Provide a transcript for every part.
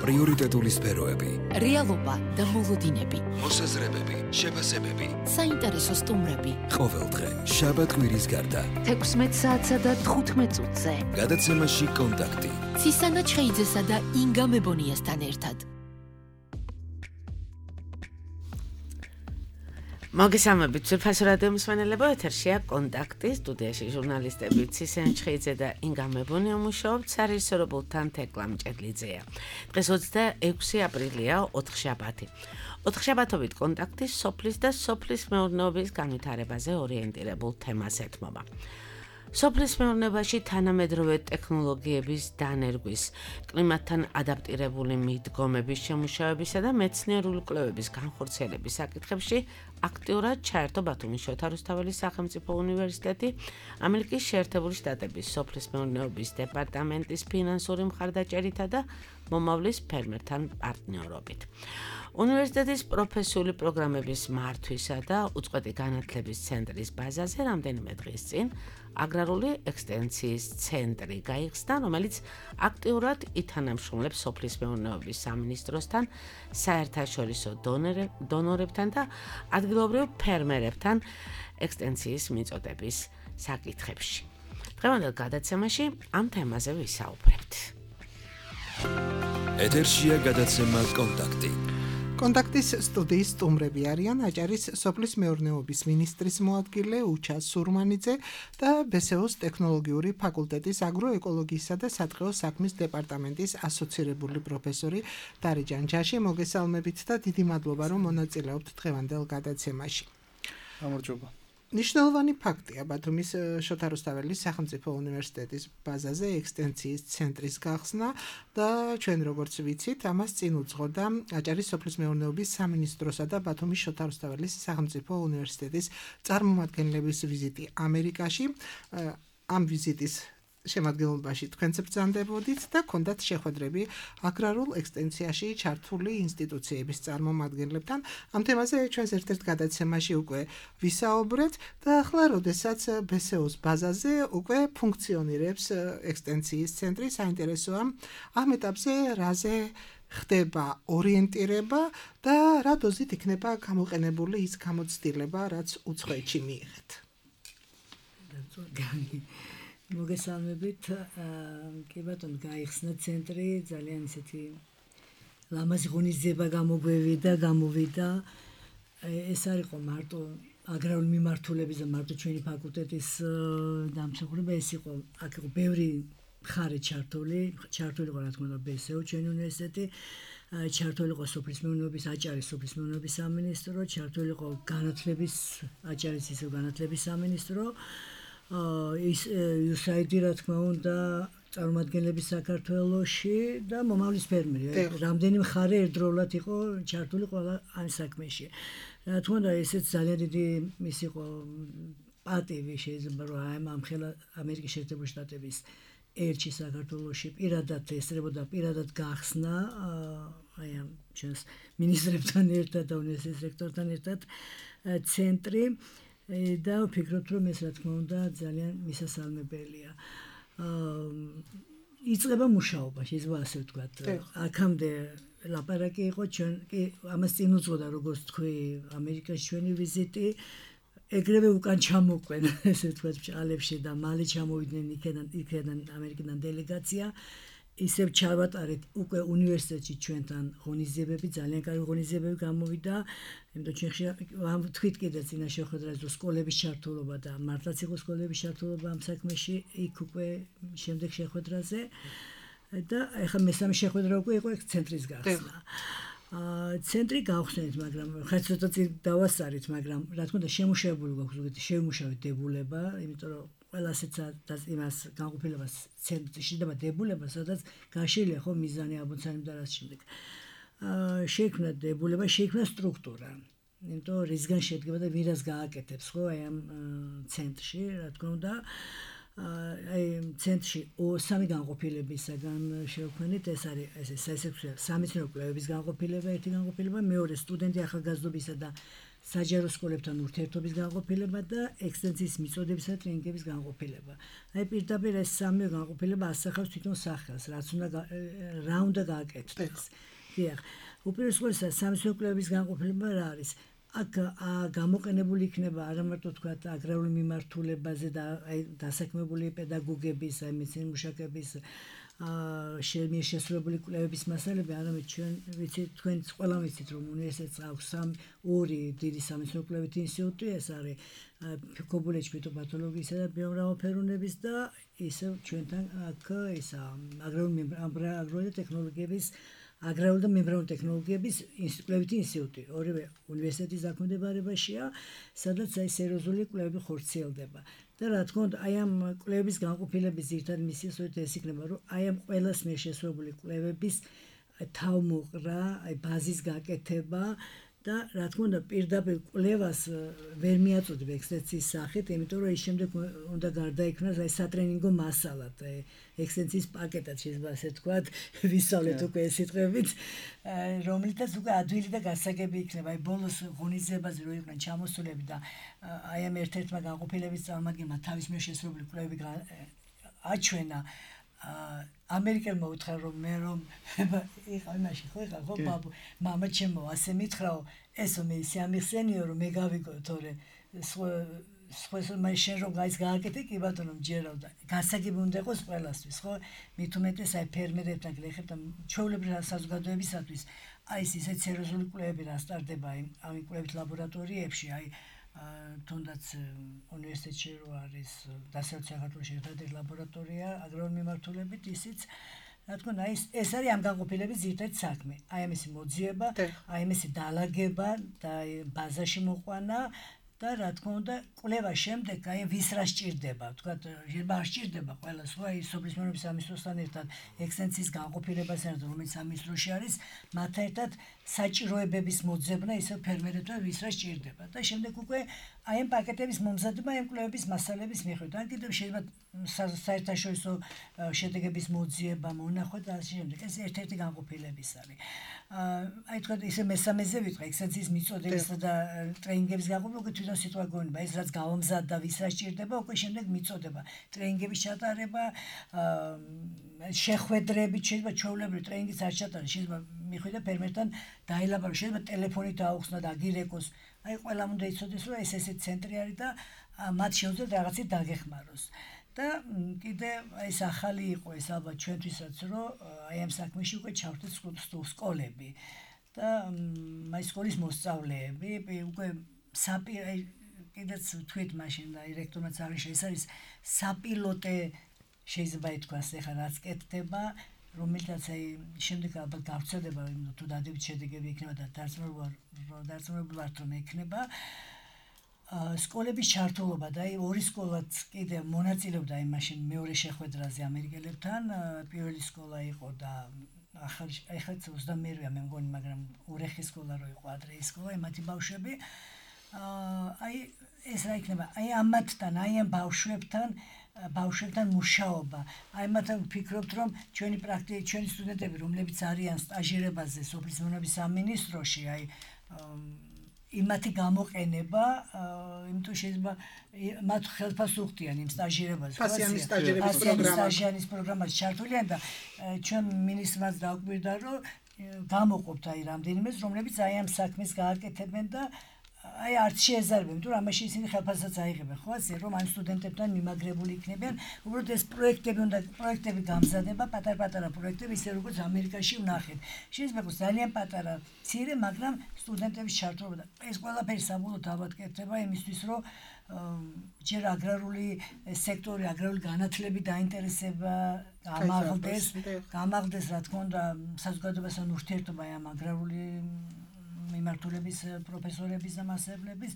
პრიორიტეტული სფეროები, რეალობა და მოლოდინები, მოსაზრებები, შეფასებები, საინტერესო სტუმრები. ყოველდღე შაბათ-კვირის გარდა 16 საათსა და 15 წუთზე. გადაცემაში კონტაქტი. ცისანა ჩხეიძესა და ინგა მებონიასთან ერთად. მოგესალმებით, ძვირფასო რადიო მსმენელებო, ეთერშია კონტაქტი, სტუდიაში ჟურნალისტები ცისანა ჩხეიძე და ინგა მებონია მუშაობთ, სარისორობულთან თეკლა მჭედლიძეა. დღეს 26 აპრილია, ოთხშაბათი. ოთხშაბათობით კონტაქტი სოფლის და სოფლის მეურნეობის განვითარებაზე ორიენტირებულ თემას ეთმობა. სოფლის მეურნეობაში თანამედროვე ტექნოლოგიების დანერგვის, კლიმატთან ადაპტირებული მიდგომების შემუშავებისა და მეცნიერული კვლევების განხორციელების საკითხებში აქტიურად ჩაერთო ბათუმის შოთა რუსთაველის სახელმწიფო უნივერსიტეტი, ამერიკის შეერთებული შტატების სოფლის მეურნეობის დეპარტამენტის ფინანსური მხარდაჭერითა და მომავლის ფერმერთან პარტნიორობით. უნივერსიტეტის პროფესიული პროგრამების მართვისა და უწყვეტი განათლების ცენტრის ბაზაზე რამდენიმე დღის წინ აგრარული ექსტენციის ცენტრი გაიხსნა, რომელიც აქტიურად ითანამშრომლებს სოფლის მეურნეობის სამინისტროსთან, საერთაშორისო დონორებთან და ადგილობრივ ფერმერებთან ექსტენციის მიწოდების საკითხებში. დღევანდელ გადაცემაში ამ თემაზე ვისაუბრებთ. ეთერშია გადაცემა კონტაქტი. კონტაქტის სტუდიის სტუმრები არიან აჭარის სოფლის მეურნეობის მინისტრის მოადგილე უჩა სურმანიძე და ბესეოს ტექნოლოგიური ფაკულტეტის აგროეკოლოგიისა და სატყეო საქმის დეპარტამენტის ასოცირებული პროფესორი დარიჯან ჯაში. მოგესალმებით და დიდი მადლობა, რომ მონაწილეობთ დღევანდელ გადაცემაში. გამარჯობა. ნიშნულოვანი ფაქტია ბათუმის შოთა რუსთაველის სახელმწიფო უნივერსიტეტის ბაზაზე ექსტენციის ცენტრის გახსნა და ჩვენ როგორც ვიცით, ამას წინ უძღოდა აჭარის სოფლის მეურნეობის სამინისტროსა და ბათუმის შოთა რუსთაველის სახელმწიფო უნივერსიტეტის წარმომადგენლების ვიზიტი ამერიკაში. ამ ვიზიტის შემადგენლობაში თქვენც ბრძანდებოდით და ქონდათ შეხვედრები აგრარულ ექსტენციაში ჩართული ინსტიტუციების წარმომადგენლებთან. ამ თემაზე ჩვენს ერთ-ერთ გადაცემაში უკვე ვისაუბრეთ და ახლა, როდესაც ბესეოს ბაზაზე უკვე ფუნქციონირებს ექსტენციის ცენტრი, საინტერესოა ამ ეტაპზე რაზე ხდება ორიენტირება და რა დოზით იქნება გამოყენებული ის გამოცდილება, რაც უცხოეთში მიიღეთ. მოგესალმებით, კი ბატონო, გაიხსნა ცენტრი, ძალიან ისეთი ლამაზი ღონისძიება გამოვიდა. ეს არ იყო მარტო აგრარული მიმართულების და მარტო ჩვენი ფაკულტეტის დამსახურება, ეს იყო, აქ იყო ბევრი მხარე ჩართული იყო, რა თქმა უნდა, ბესეო ჩვენი უნივერსიტეტი, ჩართული იყო სოფლის მეურნეობის აჭარის სოფლის მეურნეობის სამინისტრო, ჩართული იყო განათლების აჭარის ისევ განათლების სამინისტრო, ის USAID, რა თქმა უნდა, წარმომადგენლები საქართველოში და მომავლის ფერმერი. რამდენი მხარე ერთდროულად იყო ჩართული ყველა ამ საქმეში. რა თქმა უნდა, ესეც ძალიან დიდი ის იყო პატივი შეიძლება, რომ ამხელა ამერიკის შეერთებული შტატების ელჩი საქართველოში პირადად ესწრებოდა, პირადად გახსნა აი ამ ჩვენს მინისტრებთან ერთად და უნივერსიტეტის რექტორთან ერთად ცენტრი. და ვფიქრობთ, რომ ეს რა თქმა უნდა ძალიან მისასალმებელია. იწყება მუშაობა, შეიძლება ასე ვთქვათ. აქამდე ლაპარაკი იყო, ჩვენ კი ამას წინ უძღოდა, როგორც თქვი, ამერიკაში ჩვენი ვიზიტი, ეგრევე უკან ჩამოყვენ, ესე ვთქვათ, ბჭყალებში და მალე ჩამოვიდნენ იქიდან ამერიკიდან დელეგაცია. ისევ ჩავატარეთ უკვე უნივერსიტეტში ჩვენთან ღონისძიებები, ძალიან კარგი ღონისძიებები გამოვიდა. იმიტომ ჩვენ თქვით კიდე წინა შეხვედრაზე, რომ სკოლების ჩართულობა და მართლაც იყო სკოლების ჩართულობა ამ საქმეში, იქ უკვე შემდეგ შეხვედრაზე და ეხლა მესამე შეხვედრა უკვე იყო ცენტრის გახსნა. ცენტრი გავხსნით, მაგრამ ხა ცოტა წინ დავასწარით, მაგრამ რა თქმა უნდა შემუშავებული გვაქვს ზოგადად შემუშავეთ დებულება, იმიტომ რომ ყველასეც და იმას განყოფილებას ცენტრში შეიძლება დებულება, სადაც გაშლილია ხო მიზანი აბოცანი და რაც შემდეგ. შეიქმნა დებულება, შეიქმნა სტრუქტურა. იმიტომ რისგან შედგება და ვირას გააკეთებს ხო აი ამ ცენტრში, რა თქმა უნდა. აი ცენტრში სამი განყოფილებისაგან შევქმნით, ეს არის სამეცნიერო კვლევების განყოფილება, ერთი განყოფილება, მეორე სტუდენტი ახალგაზრდობისა და საჯარო სკოლებთან ურთიერთობის განყოფილება და ექსტენსიის მიწოდებისა და ტრენინგების განყოფილება. აი პირდაპირ ეს სამი განყოფილება ასახავს თვითონ სახელს, რა უნდა გააკეთდეს. დიახ. უპირველეს სამეცნიერო კვლევების განყოფილება რა არის? აქ გამოყენებული იქნება არა მარტო თქვა აგრარული მიმართულებაზე და აი დასაქმებული პედაგოგების, აი მეცნიერ მუშაკების შესრულებული კვლევების მასალები, არამედ ჩვენ ვიცით, თქვენც ყველა ვიცით, რომ უნივერსიტეტს აქვს ორი დიდი სამეცნიერო კვლევითი ინსტიტუტი, ეს არის ქობულეთის ფიტოპათოლოგიისა და ბიომრავალფეროვნების და ისევ ჩვენთან აქ ისა აგრარული და ტექნოლოგიების აგრარული და მემბრანული ტექნოლოგიების კვლევითი ინსტიტუტი, ორივე უნივერსიტეტის დაქვემდებარებაშია, სადაც აი სერიოზული კვლევები ხორციელდება. და რა თქმა უნდა, აი ამ კვლევების განყოფილების ძირითადი მისია ეს იქნება, რომ აი ამ ყველას მიერ შესრულებული კვლევების თავმოყრა, აი ბაზის გაკეთება და რა თქმა უნდა, პირდაპირ კვლევას ვერ მიაწოდებ ექსტენსიის სახით, იმიტომ რომ ის შემდეგ უნდა გარდაიქმნას აი სატრენინგო მასალად, ექსტენსიის პაკეტად შეიძლება ასე ვთქვათ, ვისწავლეთ უკვე ეს სიტყვებით, რომლითაც უკვე ადვილი და გასაგები იქნება. აი ბოლოს ღონისძიებაზე რო იყვნენ ჩამოსულები და აი ამ ერთ-ერთმა განყოფილების წარმომადგენელმა თავის მიერ შესრულებული კვლევები აჩვენა, ამერიკელმა უთხრა რომ მე რომ იყავ იმაში ხო ბაბუ მამა ჩემო ასე მითხრაო ესო მე ისე ამიხსენიო რომ მე გავიგო თორე სხვა მე შენ რომ გააკეთე კი ბატონო მჯერავ და გასაგები უნდა იყოს ყველასთვის ხო მით უმეტეს აი ფერმერებთან გლეხებთან ჩვეულებრივ საზოგადოებისათვის აი ეს ისეთ სერიოზული კვლევები რა სტარდება ამ კვლევით ლაბორატორიებში აი თუნდაც უნივერსიტეტში რო არის დასავლეთ საქართველოში ერთადერთი ლაბორატორია აგრარული მიმართულებით ისიც რა თქმა უნდა ეს არის ამ განყოფილების ძირითადი საქმე აი ამისი მოძიება აი ამისი დალაგება და ბაზაში მოყვანა და რა თქმა უნდა კვლევა შემდეგ აი ვის რა სჭირდება თქვა შეიძლება არ სჭირდება ყველას ხო აი სოფლის მეურნეობის სამინისტროსთან ერთად ექსტენსიის განყოფილებას ერთად რომელიც სამინისტროში არის მათთან ერთად საჭიროებების მოძებნა ისე ფერმერებთან ვის რა სჭირდება და შემდეგ უკვე აი ამ პაკეტების მომზადება ამ კვლევების მასალების მიხედვით ან კიდევ შეიძლება საერთაშორისო შედეგების მოძიება მონახვა და ასე შემდეგ ეს ერთ-ერთი განყოფილების არის აი თქვა ისე მესამეზე ვიტყვი ექსტენსიის მიწოდებისა და ტრენინგების განყოფილება უკვე თვითონ სიტყვა გონება ეს რაც გავამზადდა ვის რა სჭირდება უკვე შემდეგ მიწოდება ტრენინგების ჩატარება შეხვედრებით შეიძლება ჩვეულებრივ ტრენინგის არ ჩატარდეს შეიძლება მიხვიდა ფერმერთან დაელაპარაკოს შეიძლება ტელეფონით დაუხსნა და აგირეკოს აი ყველამ უნდა იცოდეს რომ ეს ესეთი ცენტრი არის და მათ შეუძლიათ რაღაცით დაგეხმაროს და კიდე ეს ახალი იყო ეს ალბათ ჩვენთვისაც რომ აი ამ საქმეში უკვე ჩავთვით სკოლები და აი სკოლის მოსწავლეები უკვე კიდეც თქვით მაშინ და რექტორმაც აღნიშნა ეს არის საპილოტე შეიძლება ითქვას ეხლა რაც კეთდება რომელთაც აი შემდეგ ალბათ გავწევდება თუ დადებით შედეგები იქნება და დარწმუნებული ვართ რომ ექნება სკოლების ჩართულობა და აი ორი სკოლაც კიდე მონაწილეობდა აი მაშინ მეორე შეხვედრაზე ამერიკელებთან პირველი სკოლა იყო და ახლა 22-ია მე მგონი მაგრამ ურეხი სკოლა რო იყო ადრე ის სკოლა მათი ბავშვები აი ეს რა იქნება აი ამათთან აი ამ ბავშვებთან მუშაობა აი მათ ვფიქრობთ რომ ჩვენი სტუდენტები რომლებიც არიან სტაჟირებაზე სოფლის მეურნეობის სამინისტროში აი იმათი გამოყენება იმიტომ შეიძლება მათ ხელფასუხდიან იმ სტაჟირებაზე ფასიანის სტაჟირების პროგრამაში ჩართულიან და ჩვენ მინისტრმაც დაუკვირდა რომ გამოყოფთ აი რამდენიმეს რომლებიც აი ამ საქმეს გააკეთებენ და აი არც შეეზარებენ, იმიტომ რომ ამაში ისინი ხელფასსაც აიღებენ, ხო ასე რომ ამ სტუდენტებთან მიმაგრებული იქნებიან, უბრალოდ ეს პროექტები გამზადება, პატარ-პატარა პროექტები, ისე როგორც ამერიკაში ვნახეთ. შეიძლება იყოს ძალიან პატარა, მცირე, მაგრამ სტუდენტების ჩართულობა და ეს ყველაფერი საბოლოოდ ალბათ კეთდება იმისთვის, რომ ჯერ აგრარული სექტორი, აგრარული განათლებით დაინტერესება გამაღლდეს, რა თქმა უნდა, საზოგადოებასთან ურთიერთობა ამ აგრარული მიმართულების პროფესორების და მასწავლებლების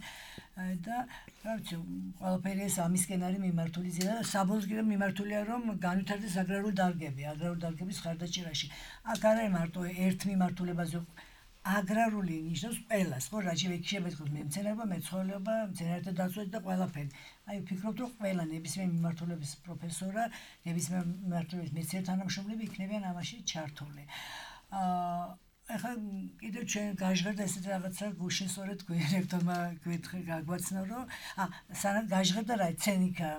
და რა ვიცი ყველაფერი ეს ამისკენ არის მიმართული და საბოლოოდ კიდევ მიმართულია რომ განვითარდეს აგრარული დარგების ხარდაჭერაში აქ არ არის მარტო ერთ მიმართულებაზე აგრარული ნიშნავს ყველას ხო რაც შეიძლება ითქვას მემცენარეობა მეცხოველეობა მცენარეთა დაცვა და ყველაფერი აი ვფიქრობ რომ ყველა ნებისმიერ მიმართულების პროფესორა ნებისმიერ მიმართულების მეცნიერ თანამშრომლები იქნებიან ამაში ჩართული ახლა კიდევ ჩვენ გაჟღერდა ესეთ რაღაცა გუშინ სწორედ რექტორმა გვეთქი გაგვაცნო რომ სანამ გაჟღერდა რა ცენიკა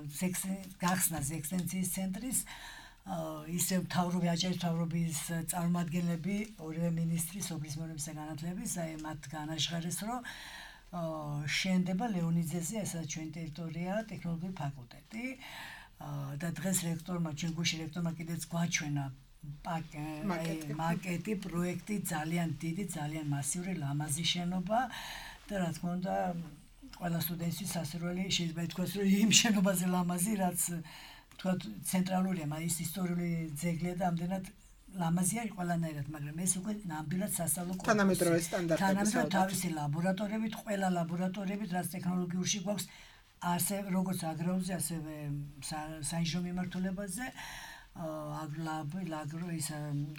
გახსნას ექსტენციის ცენტრის ისე მთავრობი აჭარის მთავრობის წარმომადგენლები ორივე მინისტრი სოფლის მეურნეობის და განათლების აი მათ განაჟღერეს რომ შენდება ლეონიძეზე ესა ჩვენ ტერიტორია ტექნოლოგიური ფაკულტეტი და დღეს რექტორმა ჩვენ გუშინ რექტორმა კიდეც გვაჩვენა მაკეტი პროექტი ძალიან დიდი ძალიან მასიური ლამაზი შენობა და რა თქმა უნდა ყველა სტუდენტის სასურველი შეიძლება ითქვას რომ იმ შენობაზე ლამაზი რაც თქვა ცენტრალურია მაგრამ ის ისტორიული ძეგლია და ამდენად ლამაზია ყველანაირად მაგრამ ეს უკვე ნამდვილად სასწავლო კორპუსი თანამედროვე სტანდარტების თავისი ლაბორატორიებით ყველა ლაბორატორიებით რაც ტექნოლოგიურში გვაქვს ასე როგორც აგროზე ასევე საინჟინრო მიმართულებაზე აგრო ის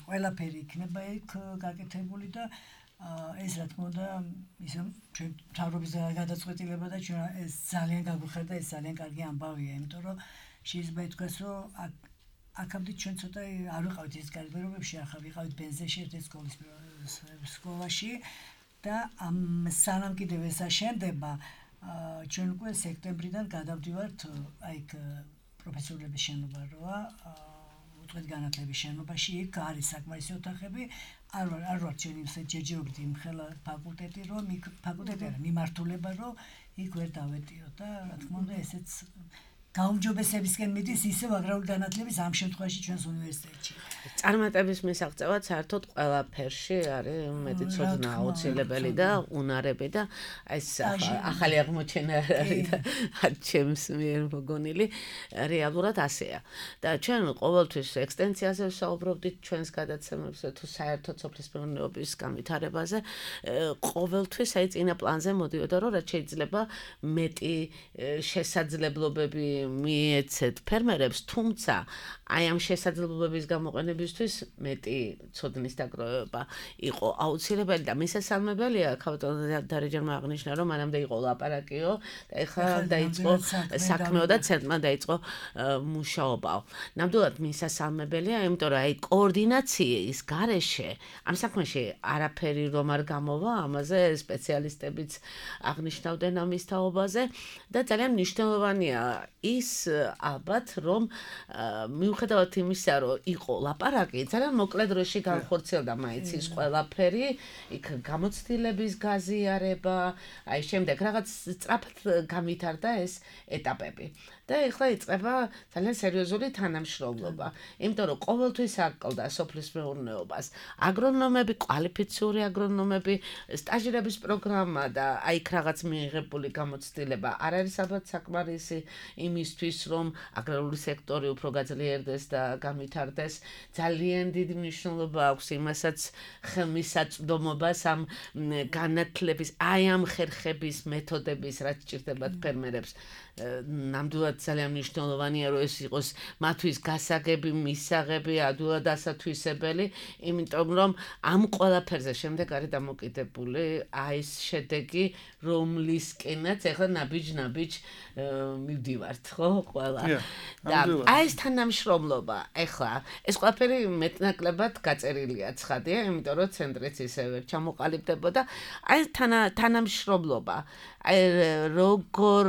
ყველაფერი იქნება იქ გაკეთებული და ეს რა თქმა უნდა ისე ჩვენ თავრობის გადაწყვეტილება და ჩვენ ეს ძალიან გაგვიხარდა ეს ძალიან კარგი ამბავია იმიტომ რომ შეიძლება ითქვას რომ აქამდე ჩვენ ცოტა არ ვიყავით ის გარდაქმნებში ახლა ვიყავით ბენზეში ერთ სკოლაში და სანამ კიდევ ეს აშენდება ჩვენ უკვე სექტემბრიდან გადავდივართ აი პროფესორების შენობა როა უთხრეთ განათლების შენობაში იქ არის საკმარისი ოთახები არ ვარ ჩვენ იმ ჯერჯერობით იმ ხელა ფაკულტეტი რომ ფაკულტეტი არა მიმართულება რომ იქ ვერ დავეტიო და რა თქმა უნდა ესეც გაუმჯობესებისკენ მიდის ისევ აგრარული განათლების ამ შემთხვევაში ჩვენს უნივერსიტეტში. წარმატების მისაღწევად საერთოდ ყველაფერში არის მეტი ცოდნა აუცილებელი და უნარები და ეს ახალი აღმოჩენა არის და ჩემს მიერ მოგონილი რეალურად ასეა. და ჩვენ ყოველთვის ექსტენციაზე ვსაუბრობდით ჩვენს გადაცემებზე თუ საერთოდ სოფლის მეურნეობის განვითარებაზე ყოველთვის აი წინა პლანზე მოდიოდა რომ რაც შეიძლება მეტი შესაძლებლობები მიეცეთ ფერმერებს, თუმცა აი ამ შესაძლებლობების გამოყენებისთვის მეტი ცოდნის დაგროვება იყო აუცილებელი და მისასალმებელია ქავტონი დარეჯერმა აღნიშნა რომ მანამდე იყო ლაპარაკიო და ეხლა დაიწყო საქმეო და ცენტრმა დაიწყო მუშაობაო. ნამდვილად მისასალმებელია, იმიტომ რომ აი კოორდინაციის გარეშე ამ საქმეში არაფერი რომ არ გამოვა, ამაზე სპეციალისტებიც აღნიშნავდნენ ამის თაობაზე და ძალიან მნიშვნელოვანია ის ალბათ რომ მიუხედავად იმისა რომ იყო ლაპარაკი ძალიან მოკლე დროში განხორციელდა მაინც ის ყველაფერი იქ გამოცდილების გაზიარება აი შემდეგ რაღაც სწრაფად გამვითარდა ეს ეტაპები და ეხლა იწყება ძალიან სერიოზული თანამშრომლობა იმიტომ რომ ყოველთვის აკლდა სოფლის მეურნეობას აგრონომები კვალიფიციური აგრონომები სტაჟირების პროგრამა და აი იქ რაღაც მიიღებული გამოცდილება არ არის ალბათ საკმარისი იმისთვის რომ აგრარული სექტორი უფრო გაძლიერდეს და გამვითარდეს ძალიან დიდი მნიშვნელობა აქვს იმასაც ხელმისაწვდომობას ამ განათლების აი ამ ხერხების მეთოდების რაც ჭირდებათ ფერმერებს ნამდვილად ძალიან მნიშვნელოვანია რომ ეს იყოს მათთვის გასაგები მისაღები ადვილად ასათვისებელი იმიტომ რომ ამ ყველაფერზე შემდეგ არის დამოკიდებული აი ეს შედეგი რომლისკენაც ახლა ნაბიჯ მივდივართ ხო ყველა და აი ეს თანამშრომლობა ახლა ეს ყველაფერი მეტნაკლებად გაწერილია ცხადია იმიტომ რომ ცენტრიც ისევე ჩამოყალიბდებოდა აი თანამშრომლობა აი როგორ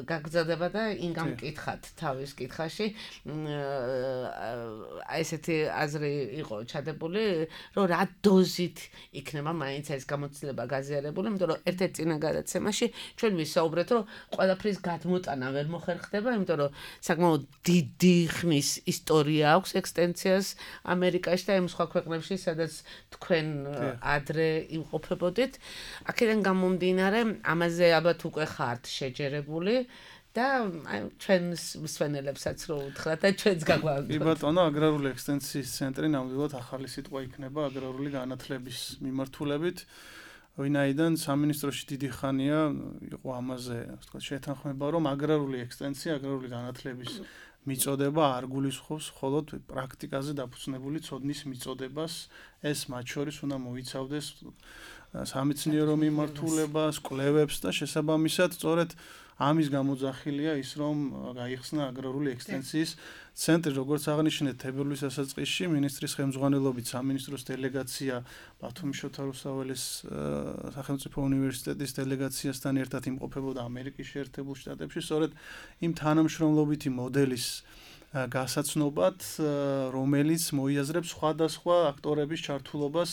გაგზავნება და ინგამ მკითხათ თავის კითხაში აი ესეთი აზრი იყო ჩადებული რომ რა დოზით იქნება მაინც ეს გამოცდილება გაზიარებული იმიტომ რომ ერთ-ერთ წინა გადაცემაში ჩვენ ვისაუბრეთ რომ ყველაფრის გადმოტანა ვერ მოხერხდება იმიტომ რომ საკმაოდ დიდი ხნის ისტორია აქვს ექსტენციას ამერიკაში და იმ სხვა ქვეყნებში სადაც თქვენ ადრე იმყოფებოდით აქედან გამომდინარე ამაზე ალბათ უკვე ხართ შეჯერებული და ჩვენს მსვენელებსაც რო უთხრათ და ჩვენს გაგვაქვს. კი ბატონო, აგრარული ექსტენციის ცენტრი ნამდვილად ახალი სიტყვა იქნება აგრარული განათლების მიმართულებით. ვინაიდან სამინისტროში დიდი ხანია იყო ამაზე, ასე ვთქვათ, შეთანხმება, რომ აგრარული ექსტენცია, აგრარული განათლების მიწოდება არ გულისხმობს მხოლოდ პრაქტიკაზე დაფუძნებული ცოდნის მიწოდებას, ეს მათ შორის უნდა მოიცავდეს სამეცნიერო მიმართულებას, კვლევებს და შესაბამისად, სწორედ ამის გამოძახილია ის, რომ გაიხსნა აგრარული ექსტენსიის ცენტრი, როგორც აღნიშნეთ, თებერვლის დასაწყისში მინისტრის ხელმძღვანელობით სამინისტროს დელეგაცია ბათუმის შოთა რუსთაველის სახელმწიფო უნივერსიტეტის დელეგაციასთან ერთად იმყოფებოდა ამერიკის შეერთებულ შტატებში, სწორედ იმ თანამშრომლობითი მოდელის გასაცნობად, რომელიც მოიაზრებს სხვადასხვა აქტორების ჩართულობას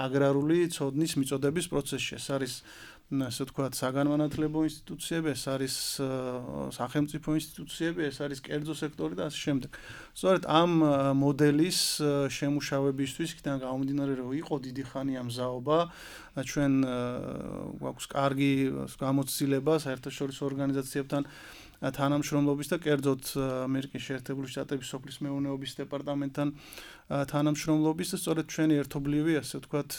აგრარული ცოდნის მიწოდების პროცესში. ეს არის ასე ვთქვათ, საგანმანათლებლო ინსტიტუციები, ეს არის სახელმწიფო ინსტიტუციები, ეს არის კერძო სექტორი და ასე შემდეგ. სწორედ ამ მოდელის შემუშავებისთვის იქიდან გამომდინარე, რომ იყო დიდი ხანი ამ მზაობა, ჩვენ გვაქვს კარგი გამოცდილება საერთაშორისო ორგანიზაციებთან თანამშრომლობის და კერძოდ ამერიკის შეერთებული შტატების სოფლის მეურნეობის დეპარტამენტთან თანამშრომლობის და სწორედ ჩვენი ერთობლივი, ასე ვთქვათ,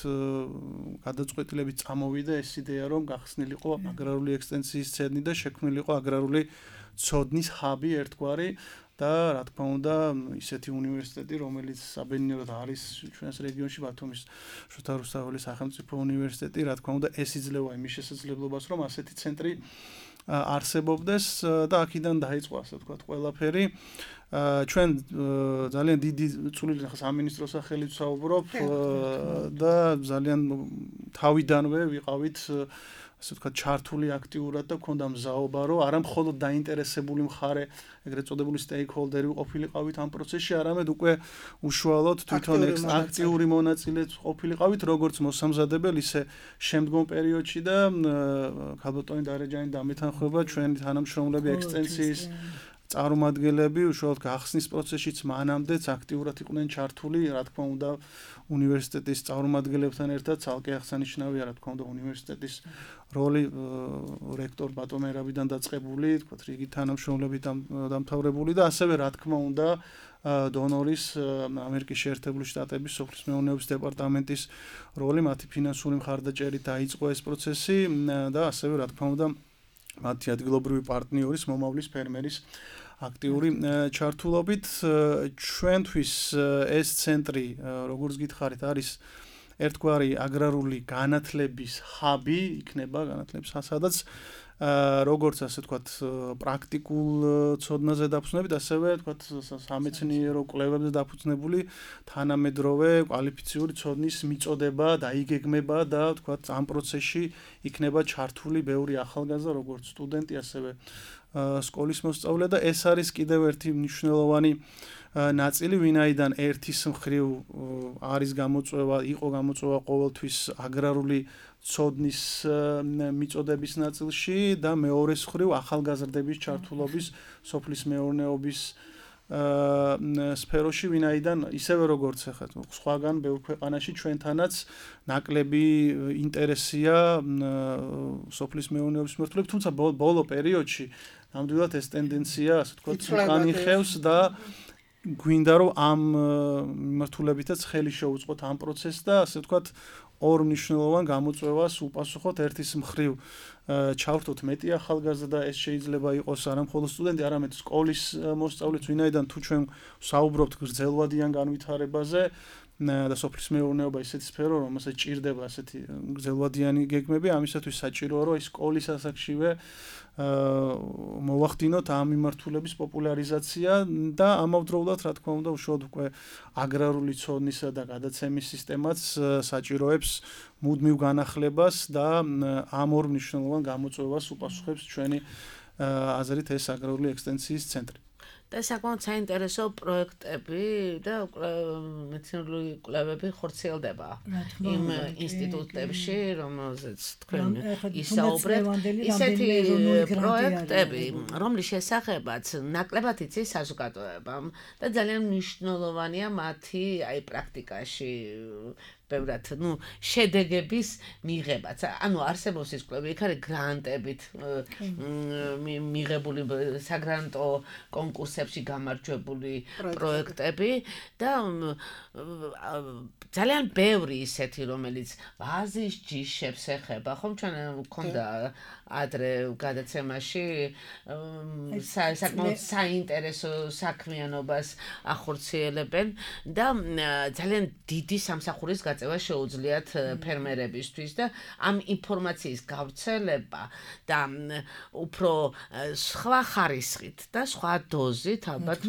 გადაწყვეტილებით წამოვიდა ეს იდეა, რომ გახსნილიყო აგრარული ექსტენსიის ცენტრი და შექმნილიყო აგრარული ცოდნის ჰაბი ერთგვარი და რა თქმა უნდა, ისეთი უნივერსიტეტი, რომელიც საბედნიეროდ არის ჩვენს რეგიონში ბათუმის შოთა რუსთაველის სახელმწიფო უნივერსიტეტი, რა თქმა უნდა, ეს იძლევა იმის შესაძლებლობას, რომ ასეთი ცენტრი არსებობდეს და აქედან დაიწყო, ასე ვთქვათ, ყველაფერი. ჩვენ ძალიან დიდი წვლილი ახლა სამინისტროს სახელით ვსაუბრობ და ძალიან თავიდანვე ვიყავით, ასე ვთქვათ, ჩართული აქტიურად და ქონდა მზაობა, რომ არა მხოლოდ დაინტერესებული მხარე, ეგრეთ წოდებული stakeholder-ი ყოფილიყავით ამ პროცესში, არამედ უკვე უშუალოდ თვითონ აქტიური მონაწილე ყოფილიყავით, როგორც მოსამზადებელი, ისე შემდგომ პერიოდში და ქალბატონი დარეჯანი დამეთანხმება ჩვენი თანამშრომლები ექსტენსიის წარმომადგენლები უშუალოდ გახსნის პროცესშიც მანამდეც აქტიურად იყვნენ ჩართული, რა თქმა უნდა, უნივერსიტეტის წარმომადგენლებთან ერთად ცალკე აღსანიშნავია, რა თქმა უნდა, უნივერსიტეტის როლი რექტორ ბატონ ერაბიდან დაწყებული, თქვათ, რიგი თანამშრომლები დამთავრებული და ასევე, რა თქმა უნდა, დონორის ამერიკის შეერთებული შტატების სოფლის მეურნეობის დეპარტამენტის როლი, მათი ფინანსური მხარდაჭერით დაიწყო ეს პროცესი და ასევე, რა თქმა უნდა, მათი ადგილობრივი პარტნიორის, მომავლის ფერმერის აქტიური ჩართულობით. ჩვენთვის ეს ცენტრი, როგორც გითხარით, არის ერთგვარი აგრარული განათლების ჰაბი, იქნება განათლების სადაც როგორც ასე ვთქვათ, პრაქტიკულ ცოდნაზე დაფუძნებით, ასევე ვთქვათ, სამეცნიერო კვლევებზე დაფუძნებული თანამედროვე კვალიფიციური ცოდნის მიწოდება, დაიგეგმება და ვთქვათ, ამ პროცესში იქნება ჩართული ბევრი ახალგაზრდა, როგორც სტუდენტი, ასევე სკოლის მოსწავლე და ეს არის კიდევ ერთი მნიშვნელოვანი ნაწილი, ვინაიდან ერთის მხრივ არის გამოწვევა, იყო გამოწვევა ყოველთვის აგრარული ცოდნის მიწოდების ნაწილში და მეორეს მხრივ ახალგაზრდების ჩართულობის სოფლის მეურნეობის სფეროში, ვინაიდან ისევე როგორც ახლა სხვაგან ბევრ ქვეყანაში ჩვენთანაც ნაკლები ინტერესია სოფლის მეურნეობის მიმართულებით, თუმცა ბოლო პერიოდში ნამდვილად ეს ტენდენცია, ასე ვთქვათ, უკანი ხევს და გვინდა რომ ამ მიმართულებითაც ხელი შეუწყოთ ამ პროცესს და ასე ვთქვათ, ორ მნიშვნელოვან გამოწვევას უპასუხოთ. ერთის მხრივ ჩავრთოთ მეტი ახალგაზრდა, ეს შეიძლება იყოს არა მხოლოდ სტუდენტი, არამედ სკოლის მოსწავლეც, ვინაიდან თუ ჩვენ საუბრობთ გრძელვადიან განვითარებაზე და სოფლის მეურნეობა ისეთი სფერო, რომელსაც ჭირდება ასეთი გრძელვადიანი გეგმები, ამისათვის საჭიროა, რომ სკოლის ასაკშივე მოვახდინოთ ამ მიმართულების პოპულარიზაცია და ამავდროულად, რა თქმა უნდა, უშუალოდ უკვე აგრარული ცოდნისა და გადაცემის სისტემაც საჭიროებს მუდმივ განახლებას და ამ ორ მნიშვნელოვან გამოწვევას უპასუხებს ჩვენი აზრით ეს აგრარული ექსტენსიის ცენტრი. და საკმაოდ საინტერესო პროექტები და მეცნიერული კვლევები ხორციელდება იმ ინსტიტუტებში, რომელზეც თქვენ ისაუბრებთ. ისეთი პროექტები, რომლის შესახებაც ნაკლებად იცის საზოგადოებამ და ძალიან მნიშვნელოვანია მათი პრაქტიკაში ბევრად, შედეგების მიღებაც. ანუ არსებობს ის კვლევები, იქ არის გრანტებით მიღებული საგრანტო კონკურსები კონკურსებში გამარჯვებული პროექტები და ძალიან ბევრი ისეთი, რომელიც ვაზის ჯიშებს ეხება, ხომ ჩვენ გვქონდა ადრე გადაცემაში საკმაოდ საინტერესო საქმიანობას ახორციელებენ და ძალიან დიდი სამსახურის გაწევა შეუძლიათ ფერმერებისთვის და ამ ინფორმაციის გავრცელება და უფრო სხვა ხარისხით და სხვა დოზით ალბათ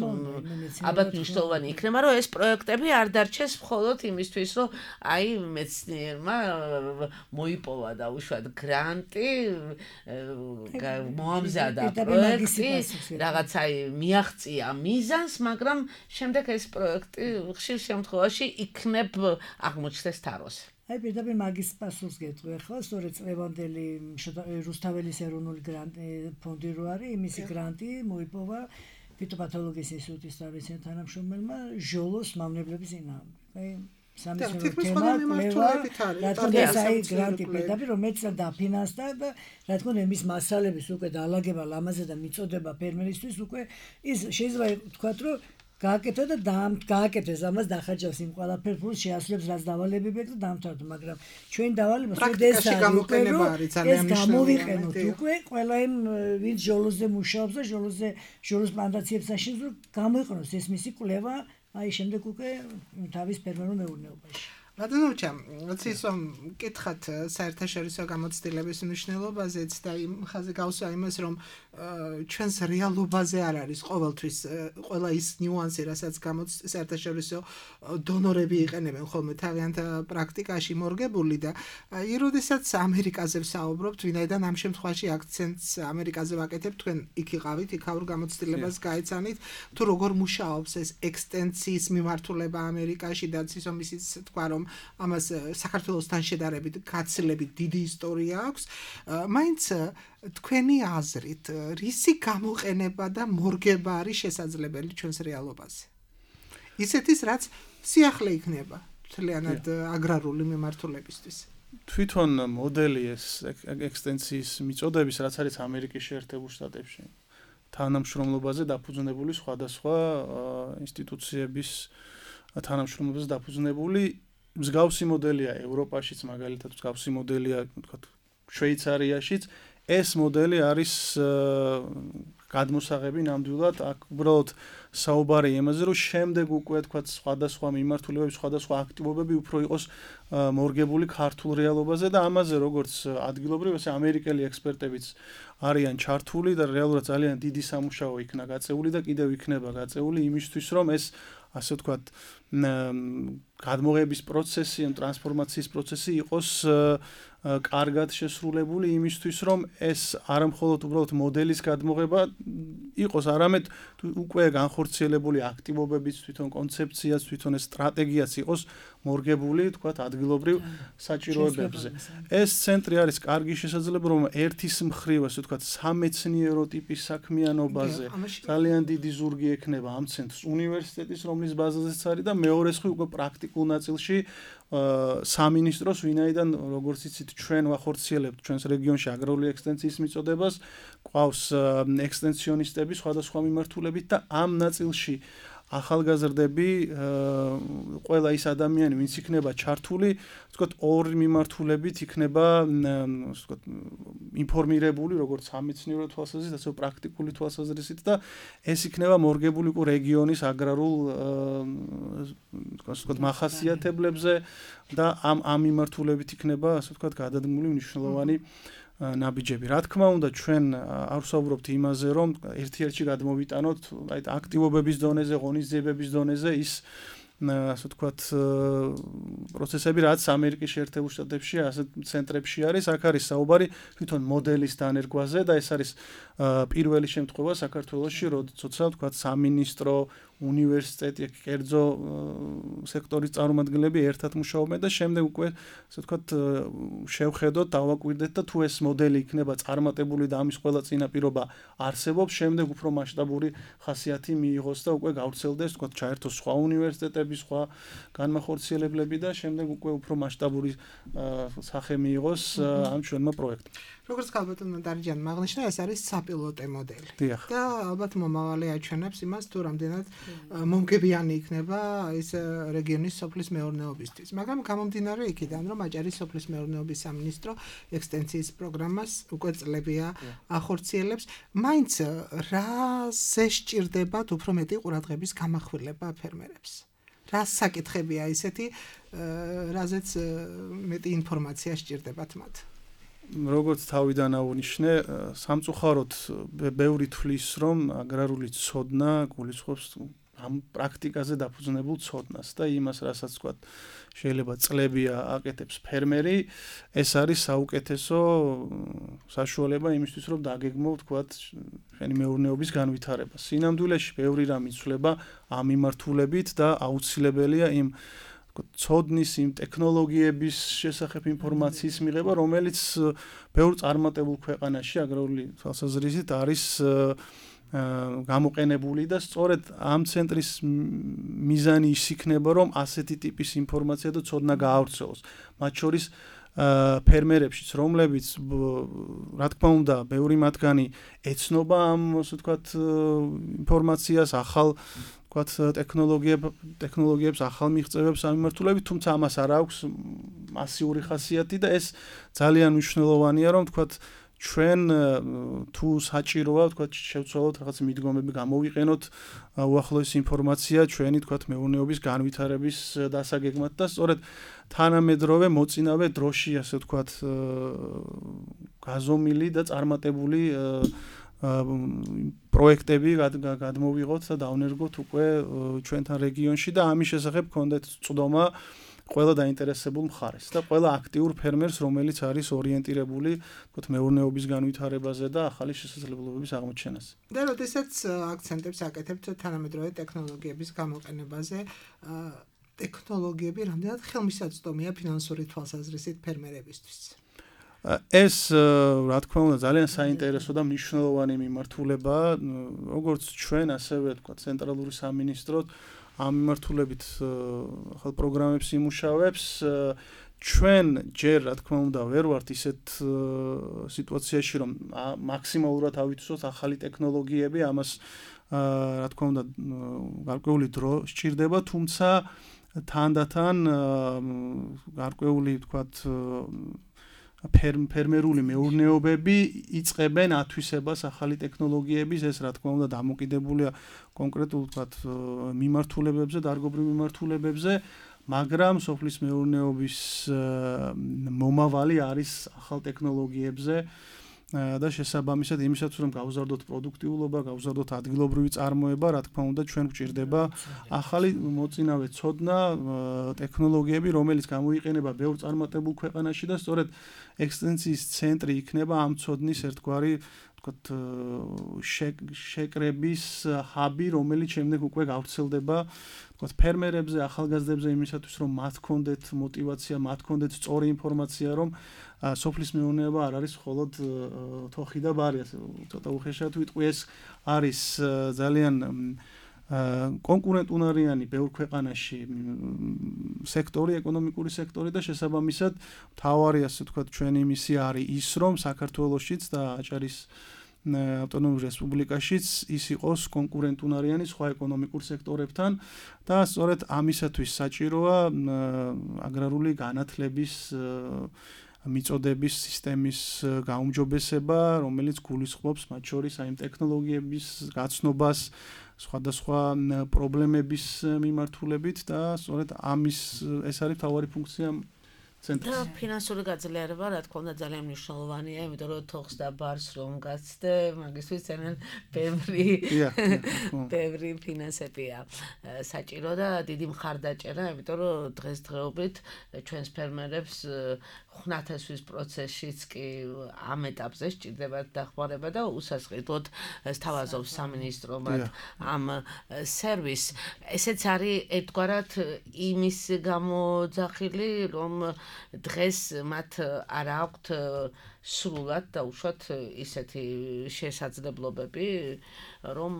მნიშვნელოვანი იქნება, რომ ეს პროექტები არ დარჩეს მხოლოდ იმისთვის, რომ აი მეცნიერმა მოიპოვა და უშუალოდ გრანტი მოამზადა პროექტი, რაღაცა მიაღწია მიზანს, მაგრამ შემდეგ ეს პროექტი ხშირ შემთხვევაში იქნებ აღმოჩნდეს თაროს. აი პირდაპირ მაგის პასუხს გეტყვი ხო, სწორედ წლევანდელი რუსთაველის ეროვნული ფონდი რო არის, იმისი გრანტი მოიპოვა ფიტოპათოლოგიის ინსტიტუტის თავისუფლ თანამშრომელმა ჟოლოს მავნებლების წინააღმდეგ. აი სამეცნიერო თემა კვლევა, რა თქმა უნდა, აი გრანტი პირდაპირ რომელიც დაფინანსდა და რა თქმა უნდა იმის მასალების უკვე დაალაგება ლამაზე და მიწოდება ფერმერისთვის უკვე ის შეიძლება ვთქვათ, რომ გააკეთო და გააკეთეს ამას დახარჯავს იმ ყველაფერს ფულს შეასრულებს რაც დავალებები აქვს და დამთავრდა, მაგრამ ჩვენ დავალება პრაქტიკაში გამოყენება არის ძალიან მნიშვნელოვანი. გამოვიყენოთ უკვე ყველა იმ ვინც ჟოლოზე მუშაობს და ჟოლოს პლანტაციებს აშენებს, გამოიყენოს ეს მისი კვლევა აი შემდეგ უკვე თავის ფერმერულ მეურნეობაში. ბატონოჩა, ცისო მკითხათ საერთაშორისო გამოცდილების მნიშვნელობაზეც და იმ ხაზე გავსვა იმას, რომ ჩვენს რეალობაზე არ არის ყოველთვის ყველა ის ნიუანსი, რასაც საერთაშორისო დონორები იყენებენ ხოლმე თავიანთ პრაქტიკაში მორგებული და როდესაც ამერიკაზე ვსაუბრობთ, ვინაიდან ამ შემთხვევაში აქცენტს ამერიკაზე ვაკეთებ, თქვენ იქ იყავით, იქაურ გამოცდილებას გაეცანით, თუ როგორ მუშაობს ეს ექსტენსიის მიმართულება ამერიკაში და ცისო მისიც თქვა, რომ ამას საქართველოსთან შედარებით გაცილებით დიდი ისტორია აქვს. მაინც თქვენი აზრით, რისი გამოყენება და მორგება არის შესაძლებელი ჩვენს რეალობაზე? ისეთის, რაც სიახლე იქნება მთლიანად აგრარული მიმართულებისთვის. თვითონ მოდელი ეს ექსტენსიის მიწოდების, რაც არის ამერიკის შეერთებულ შტატებში, თანამშრომლობაზე დაფუძნებული სხვადასხვა ინსტიტუციების თანამშრომლობაზე დაფუძნებული მსგავსი მოდელია ევროპაშიც, მაგალითად მსგავსი მოდელია, ვთქვათ, შვეიცარიაშიც. ეს მოდელი არის გადმოსაღები ნამდვილად, აქ უბრალოდ საუბარი იმაზე, რომ შემდეგ უკვე თქვათ სხვადასხვა მიმართულებები, სხვადასხვა აქტივობები უფრო იყოს მორგებული ქართულ რეალობაზე და ამაზე როგორც ადგილობრივ, ესე ამერიკელი ექსპერტებიც არიან ჩართული და რეალურად ძალიან დიდი სამუშაო იქნა გაწეული და კიდევ იქნება გაწეული იმისთვის, რომ ეს ასე ვთქვათ, გადმოღების პროცესი, ტრანსფორმაციის პროცესი იყოს კარგად შესრულებული იმისთვის, რომ ეს არა მხოლოდ უბრალოდ მოდელის გადმოღება იყოს, არამედ უკვე განხორციელებული აქტივობების, თვითონ კონცეფციაც, თვითონ ეს სტრატეგიაც იყოს მორგებული, თქვათ, ადგილობრივ საჭიროებებზე. ეს ცენტრი არის კარგი შესაძლებლობა, რომ ერთის მხრივ, ასე ვთქვათ, სამეცნიერო ტიპის საქმიანობაზე ძალიან დიდი ზურგი ექნება ამ ცენტრს უნივერსიტეტის, რომლის ბაზაზეც არის და მეორე მხრივ უკვე პრაქტიკულ ნაწილში სამინისტროს, ვინაიდან როგორც იცით, ჩვენ ვახორციელებთ ჩვენს რეგიონში აგრარული ექსტენსიის მიწოდებას, ყავს ექსტენსიონისტები სხვადასხვა მიმართულებით და ამ ნაწილში ახალგაზრდები, ყველა ის ადამიანი, ვინც იქნება ჩართული, ვთქვათ, ორი მიმართულებით იქნება, ვთქვათ, ინფორმირებული, როგორც სამეცნიერო თვალსაზრისით, ასევე პრაქტიკული თვალსაზრისით და ეს იქნება მორგებული უკვე რეგიონის აგრარულ, ვთქვათ, მახასიათებლებზე და ამ მიმართულებით იქნება, ასე ვთქვათ, გადადგმული მნიშვნელოვანი ნაბიჯები. რა თქმა უნდა, ჩვენ არ ვსაუბრობთ იმაზე, რომ ერთ-ერთში გადმოვიტანოთ, აი აქტივობების დონეზე, ღონისძიებების დონეზე ის ასე ვთქვათ, პროცესები, რაც ამერიკის შეერთებულ შტატებში, ასეთ ცენტრებში არის, აქ არის საუბარი თვითონ მოდელის დანერგვაზე და ეს არის პირველი შემთხვევა საქართველოში, როცა ვთქვათ, სამინისტრო, უნივერსიტეტი, კერძო სექტორის წარმომადგენლები ერთად მუშაობენ და შემდეგ უკვე ასე ვთქვათ შევხედოთ, დავაკვირდეთ და თუ ეს მოდელი იქნება წარმატებული და ამის ყველა წინაპირობა არსებობს, შემდეგ უფრო მასშტაბური ხასიათი მიიღოს და უკვე გავრცელდეს, ვთქვათ, ჩაერთოს სხვა უნივერსიტეტები, სხვა განმახორციელებლები და შემდეგ უკვე უფრო მასშტაბური სახე მიიღოს ამ ჩვენმა პროექტმა. როგორც ქალბატონმა დარიჯანმა აღნიშნა, ეს არის საპილოტე მოდელი. და ალბათ მომავალი აჩვენებს იმას, თუ რამდენად მომგებიანი იქნება ეს რეგიონის სოფლის მეურნეობისთვის. მაგრამ გამომდინარე იქიდან, რომ აჭარის სოფლის მეურნეობის სამინისტრო ექსტენსიის პროგრამას უკვე წლებია ახორციელებს, მაინც რაზე სჭირდებათ უფრო მეტი ყურადღების გამახვილება ფერმერებს? რა საკითხებია ისეთი, რაზეც მეტი ინფორმაცია სჭირდებათ მათ? როგორც თავიდან აღნიშნე, სამწუხაროდ ბევრი თვლის, რომ აგრარული ცოდნა გულისხმობს ამ პრაქტიკაზე დაფუძნებულ ცოდნას და იმას, რასაც ვთქვათ, შეიძლება წლებია აკეთებს ფერმერი, ეს არის საუკეთესო საშუალება იმისთვის, რომ დაგეგმო, ვთქვათ, შენი მეურნეობის განვითარება. სინამდვილეში ბევრი რამ იცვლება ამ მიმართულებით და აუცილებელია იმ ცოდნის, იმ ტექნოლოგიების შესახებ ინფორმაციის მიღება, რომელიც ბევრ წარმატებულ ქვეყანაში აგრარული თვალსაზრისით არის გამოყენებული და სწორედ ამ ცენტრის მიზანი ის იქნება, რომ ასეთი ტიპის ინფორმაცია და ცოდნა გაავრცელოს. მათ შორის ფერმერებშიც, რომლებიც რა თქმა უნდა, ბევრი მათგანი ეცნობა ამ, ასე ვთქვათ, ინფორმაციას, ახალ ვთქვათ, ტექნოლოგიებს, ახალ მიღწევებს ამ მიმართულებით, თუმცა ამას არ აქვს მასიური ხასიათი და ეს ძალიან მნიშვნელოვანია, რომ ვთქვათ, ჩვენ თუ საჭიროა, ვთქვათ, შევცვალოთ რაღაც მიდგომები, გამოვიყენოთ უახლოესი ინფორმაცია ჩვენი, ვთქვათ, მეურნეობის განვითარების დასაგეგმად და სწორედ თანამედროვე მოწინავე დროში, ასე ვთქვათ, გაზომილი და წარმატებული პროექტები გადმოვიღოთ და დავნერგოთ უკვე ჩვენთან რეგიონში და ამის შესახებ გქონდეთ წვდომა ყველა დაინტერესებულ მხარეს და ყველა აქტიურ ფერმერს, რომელიც არის ორიენტირებული, ვთქვათ, მეურნეობის განვითარებაზე და ახალი შესაძლებლობების აღმოჩენაზე. და როდესაც აქცენტებს აკეთებთ თანამედროვე ტექნოლოგიების გამოყენებაზე, ტექნოლოგიები რამდენად ხელმისაწვდომია ფინანსური თვალსაზრისით ფერმერებისთვის? ეს, რა თქმა უნდა, ძალიან საინტერესო და მნიშვნელოვანი მიმართულებაა, როგორც ჩვენ, ასევე, ვთქვათ, ცენტრალური სამინისტრო ამ მიმართულებით ახალ პროგრამებს იმუშავებს. ჩვენ ჯერ, რა თქმა უნდა, ვერ ვართ ისეთ სიტუაციაში, რომ მაქსიმალურად ავიცვოთ ახალი ტექნოლოგიები, ამას, რა თქმა უნდა, გარკვეული დრო სჭირდება, თუმცა თანდათან გარკვეული, ვთქვათ, ფერმერული მეურნეობები იწყებენ ათვისებას ახალი ტექნოლოგიების, ეს რა თქმა უნდა დამოკიდებულია კონკრეტულ, ვთქვათ, მიმართულებებზე, დარგობრივ მიმართულებებზე, მაგრამ სოფლის მეურნეობის მომავალი არის ახალ ტექნოლოგიებზე და შესაბამისად იმისათვის, რომ გავზარდოთ პროდუქტიულობა, გავზარდოთ ადგილობრივი წარმოება, რა თქმა უნდა, ჩვენ გვჭირდება ახალი მოწინავე ცოდნა, ტექნოლოგიები, რომელიც გამოიყენება ბევრ წარმატებულ ქვეყანაში და სწორედ ექსტენსიის ცენტრი იქნება ამ ცოდნის ერთგვარი, ვთქვათ, შეკრების ჰაბი, რომელიც შემდეგ უკვე გავრცელდება, ვთქვათ, ფერმერებზე, ახალგაზრდებზე იმისათვის, რომ მათ ჰქონდეთ мотиваცია, მათ ჰქონდეთ სწორი ინფორმაცია, რომ სოფლის მეურნეობა არ არის მხოლოდ თოხი და ბარი, ასე ცოტა უხეშად ვიტყვი, ეს არის ძალიან კონკურენტუნარიანი ბევრ ქვეყანაში სექტორი, ეკონომიკური სექტორი და შესაბამისად მთავარი, ასე ვთქვათ, ჩვენი მისია არის ის, რომ საქართველოშიც და აჭარის ავტონომურ რესპუბლიკაშიც ის იყოს კონკურენტუნარიანი სხვა ეკონომიკურ სექტორებთან და სწორედ ამისათვის საჭიროა აგრარული განათლების მიწოდების სისტემის გაუმჯობესება, რომელიც გულისხმობს მათ შორის აი ტექნოლოგიების გაცნობას, სხვადასხვა პრობლემების მიმართულებით და სწორედ ამის ეს არის მთავარი ფუნქცია ცენტრს. და ფინანსური გაძლიერება რა თქმა უნდა ძალიან მნიშვნელოვანია, იმიტომ რომ თოხს და ბარს რომ გაცდე, მაგისთვის ძალიან ბევრი ფინანსებია საჭირო და დიდი მხარდაჭერა, იმიტომ რომ დღესდღეობით ჩვენს ფერმერებს ხნათესვის პროცესშიც კი ამ ეტაპზე სჭირდებათ დახმარება და უსასყიდლოდ სთავაზობს სამინისტრო მათ ამ სერვისს. ესეც არის ერთგვარად იმის გამოძახილი, რომ დღეს მათ არ აქვთ სრულად და უშუალოდ ისეთი შესაძლებლობები, რომ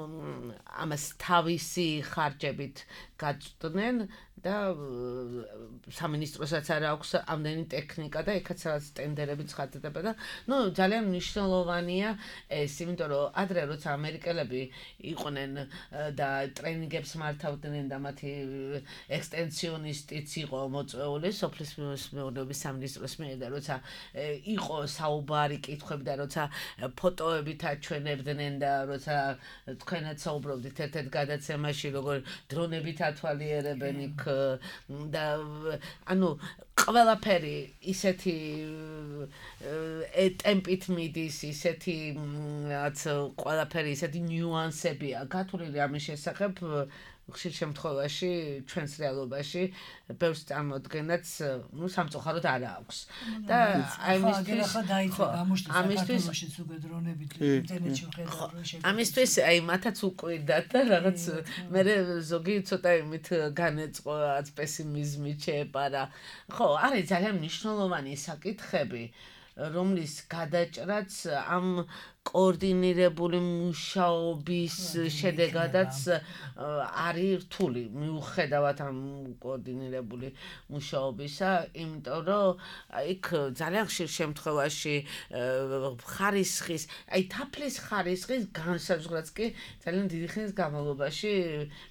ამას თავისი ხარჯებით გაწვდნენ და სამინისტროსაც არ აქვს ამდენი ტექნიკა და ეხაც რაღაც ტენდერები ცხადდება და ძალიან მნიშვნელოვანია ეს, იმიტომ რომ ადრე როცა ამერიკელები იყვნენ და ტრენინგებს მართავდნენ და მათი ექსტენსიონისტიც იყო მოწვეული სოფლის მეურნეობის სამინისტროს მიერ და როცა იყო საუბარი კითხვები და როცა ფოტოებით აჩვენებდნენ და როცა თქვენაც საუბრობდით ერთ-ერთ გადაცემაში როგორ დრონებით ათვალიერებენ იქ და ანუ ყველაფერი ისეთი ტემპით მიდის, ისეთი რაც ყველაფერი ისეთი ნიუანსებია გათვლილი ამის შესახებ ხშირ შემთხვევაში ჩვენს რეალობაში ბევრს წარმოადგენაც სამწუხაროდ არ აქვს და ამისთვის აი მათაც უკვირდათ და რაღაც მე ზოგი ცოტა იმით განეწყო რაც პესიმიზმით შეეპარა. ხო, არის ძალიან მნიშვნელოვანი საკითხები, რომლის გადაჭრაც ამ კოორდინირებული მუშაობის შედეგადაც არის რთული მიუხედავად ამ კოორდინირებული მუშაობისა, იმიტომ რომ იქ ძალიან ხშირ შემთხვევაში ხარისხის, აი თაფლის ხარისხის განსაზღვრაც კი ძალიან დიდი ხნის განმავლობაში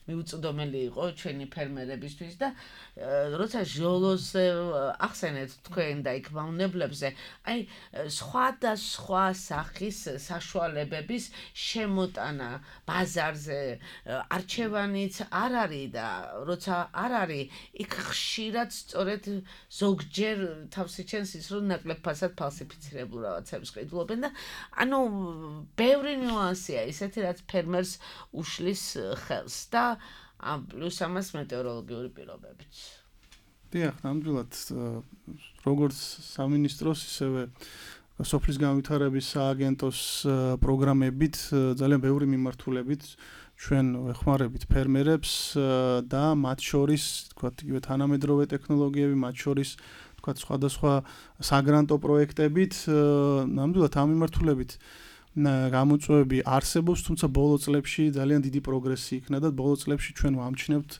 მიუწვდომელი იყო ჩვენი ფერმერებისთვის და როცა ჟოლოზე ახსენეთ თქვენ და იქ მავნებლებზე, აი სხვადასხვა სახის საშუალებების შემოტანა ბაზარზე არჩევანიც არ არის და როცა არ არის, იქ ხშირად სწორედ ზოგჯერ თავს იჩენს ის, რომ ნაკლებ ფასად ფალსიფიცირებულ რაღაცებს ყიდულობენ და ანუ ბევრი ნიუანსია ისეთი, რაც ფერმერს უშლის ხელს და პლუს ამას მეტეოროლოგიური პირობებიც. დიახ, ნამდვილად როგორც სამინისტროს ისევე სოფლის განვითარების სააგენტოს პროგრამებით ძალიან ბევრი მიმართულებით ჩვენ ვეხმარებით ფერმერებს და მათ შორის, თქვათ, იგივე თანამედროვე ტექნოლოგიები, მათ შორის, თქვათ, სხვადასხვა საგრანტო პროექტებით, ნამდვილად ამ მიმართულებით გამოწვევები არსებობს, თუმცა ბოლო წლებში ძალიან დიდი პროგრესი იქნა და ბოლო წლებში ჩვენ ვამჩნევთ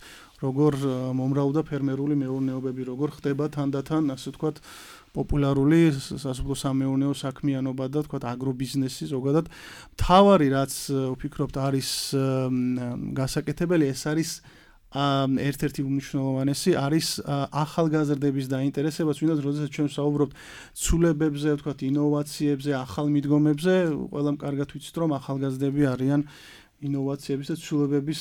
როგორ მომრავლდა ფერმერული მეურნეობები, როგორ ხდება თანდათან, ასე ვთქვათ, პოპულარული სასოფლო-სამეურნეო საქმიანობა და თქვათ აგრობიზნესი ზოგადად. მთავარი რაც ვფიქრობთ არის გასაკეთებელი, ეს არის ერთ-ერთი უმნიშვნელოვანესი არის ახალგაზრდების დაინტერესება, ვინაც როდესაც ჩვენ ვსაუბრობთ ცვლილებებზე, ვთქვათ ინოვაციებზე, ახალ მიდგომებზე, ყველამ კარგად ვიცით, რომ ახალგაზრდები არიან ინოვაციების და ცვლილებების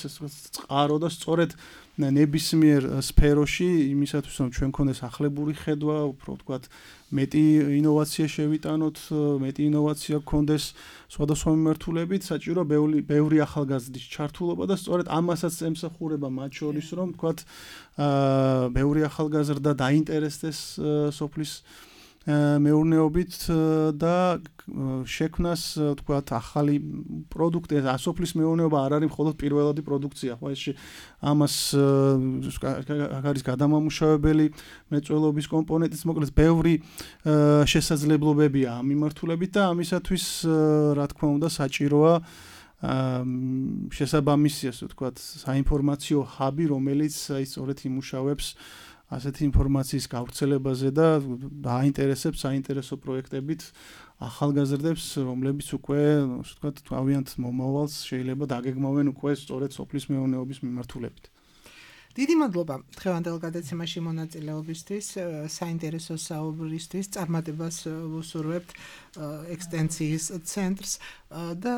წყარო და სწორედ ნებისმიერ სფეროში იმისათვის რომ ჩვენ გქონდეს ახლებური ხედვა, უფრო ვთქვათ მეტი ინოვაცია შევიტანოთ, მეტი ინოვაცია გქონდეს სხვადასხვა მიმართულებით, საჭირო ბევრი ახალგაზრდის ჩართულობა და სწორედ ამასაც ემსახურება მათ შორის რომ ვთქვათ ბევრი ახალგაზრდა დაინტერესდეს სოფლის მეურნეობით და შექმნას ვთქვათ ახალი პროდუქტი, ასოფლის მეურნეობა არ არის მხოლოდ პირველადი პროდუქცია, ხო ეს ამას არის გადამამუშავებელი მრეწველობის კომპონენტიც, მოკლედ ბევრი შესაძლებლობებია ამ მიმართულებით და ამისათვის რა თქმა უნდა საჭიროა შესაბამისი, ასე ვთქვათ, საინფორმაციო ჰაბი, რომელიც აი სწორედ იმუშავებს ასეთი ინფორმაციის გავრცელებაზე და დააინტერესებს საინტერესო პროექტებით ახალგაზრდებს, რომლებიც უკვე, ასე ვთქვათ, თავიანთ მომავალს შეიძლება დაგეგმავენ უკვე სწორედ სოფლის მეურნეობის მიმართულებით. დიდი მადლობა დღევანდელ გადაცემაში მონაწილეობისთვის, საინტერესო საუბრისთვის, წარმატებას ვუსურვებთ ექსტენციის ცენტრს და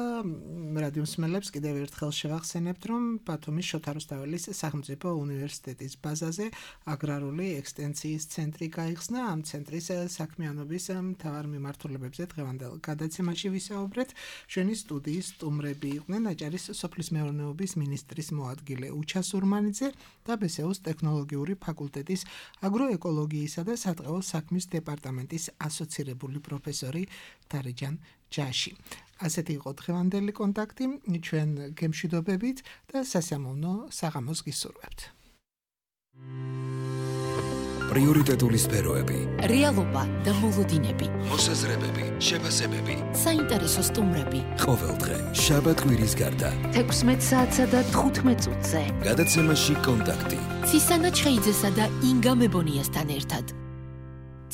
რადიო მსმენელებს კიდევ ერთხელ შევახსენებთ, რომ ბათუმის შოთა რუსთაველის სახელმწიფო უნივერსიტეტის ბაზაზე აგრარული ექსტენციის ცენტრი გაიხსნა. ამ ცენტრის საქმიანობის მთავარ მიმართულებებზე დღევანდელ გადაცემაში ვისაუბრეთ. ჩვენი სტუდიის სტუმრები იყვნენ აჭარის სოფლის მეურნეობის მინისტრის მოადგილე უჩა სურმანიძე და ბესეუს ტექნოლოგიური ფაკულტეტის აგროეკოლოგიისა და სატყეო საქმის დეპარტამენტის ასოცირებული პროფესორი დარეჯან ჯაში. ასეთი იყო დღევანდელი კონტაქტი, ჩვენ გემშვიდობებით და სასიამოვნო საღამოს გისურვებთ. პრიორიტეტული სფეროები, რეალობა და მოლოდინები, მოსაზრებები, შეფასებები, საინტერესო სტუმრები. ყოველდღე შაბათ კვირის გარდა 16 საათსა და 15 წუთზე. გადაცემაში კონტაქტი. ცისანა ჩხეიძესა და ინგა მებონიასთან ერთად.